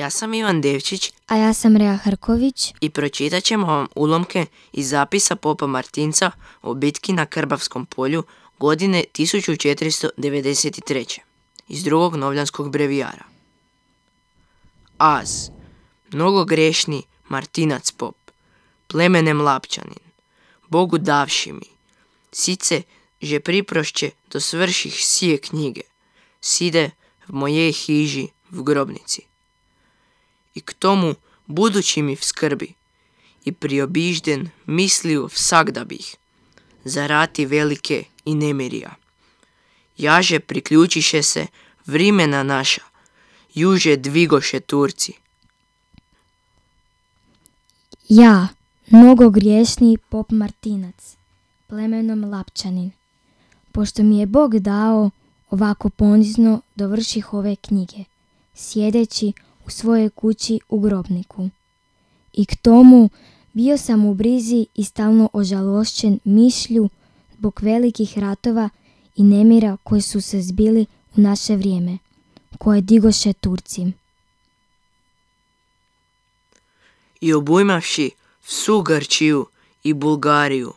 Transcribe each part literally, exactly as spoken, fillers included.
Ja sam Ivan Devčić, A ja sam Rea Hrković i pročitat ćemo vam ulomke iz zapisa popa Martinca o bitki na Krbavskom polju godine tisuću četiristo devedeset treće. iz drugog novljanskog brevijara. Az, mnogo grešni Martinac pop, plemenem Lapčanin, Bogu davši mi, sice že priprošće do svrših sije knjige, side v mojej hiži v grobnici. I k tomu budući mi v skrbi, i priobižden misliju vsak da bih, za rati velike i nemirija. Jaže priključiše se vrimena naša, juže dvigoše Turci. Ja, mnogo griješni pop Martinac, plemenom Lapčanin, pošto mi je Bog dao ovako ponizno dovrših ove knjige, sjedeći u svojoj kući u grobniku. I k tomu bio sam u brizi i stalno ožalošćen mišlju zbog velikih ratova i nemira koji su se zbili u naše vrijeme, koje digoše Turci. I obujmavši vsu Grčiju i Bulgariju,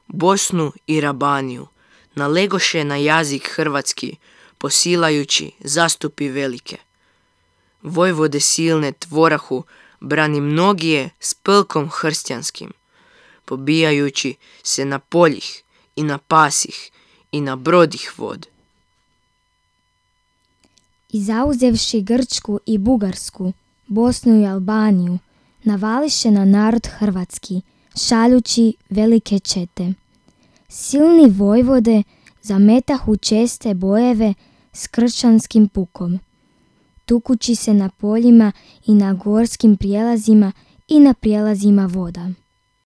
Bosnu i Rabaniju, nalegoše na jazik hrvatski, posilajući zastupi velike. Vojvode silne tvorahu brani mnogije s pelkom hrstjanskim, pobijajući se na poljih i na pasih i na brodih vod. I zauzevši Grčku i Bugarsku, Bosnu i Albaniju, navališe na narod hrvatski, šaljući velike čete. Silni vojvode zametahu česte bojeve s kršćanskim pukom, tukući se na poljima i na gorskim prijelazima i na prijelazima voda.